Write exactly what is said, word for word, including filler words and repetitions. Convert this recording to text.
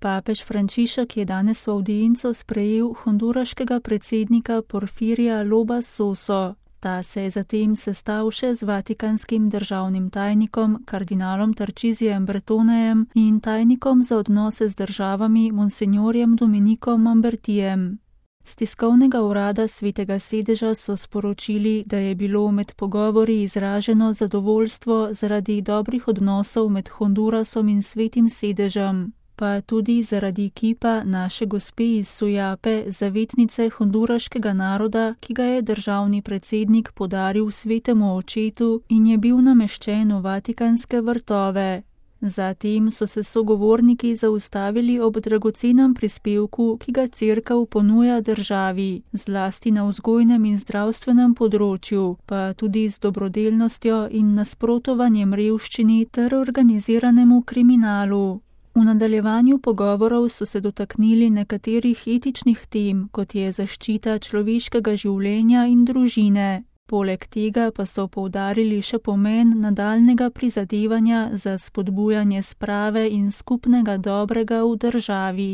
Papež Frančišek je danes v avdienco sprejel honduraškega predsednika Porfirija Loba Soso. Ta se je zatem sestal še z vatikanskim državnim tajnikom, kardinalom Tarčizijem Bretonejem in tajnikom za odnose z državami monsignorjem Dominikom Mambertijem. Z tiskovnega urada Svetega sedeža so sporočili, da je bilo med pogovori izraženo zadovoljstvo zaradi dobrih odnosov med Hondurasom in Svetim sedežem, pa tudi zaradi kipa Naše gospe iz Sujape, zavetnice honduraškega naroda, ki ga je državni predsednik podaril svetemu očetu in je bil nameščen v vatikanske vrtove. Zatem so se sogovorniki zaustavili ob dragocenem prispevku, ki ga cerkev ponuja državi, zlasti na vzgojnem in zdravstvenem področju, pa tudi z dobrodelnostjo in nasprotovanjem revščini ter organiziranemu kriminalu. V nadaljevanju pogovorov so se dotaknili nekaterih etičnih tem, kot je zaščita človeškega življenja in družine. Poleg tega pa so poudarili še pomen nadaljnjega prizadevanja za spodbujanje sprave in skupnega dobrega v državi.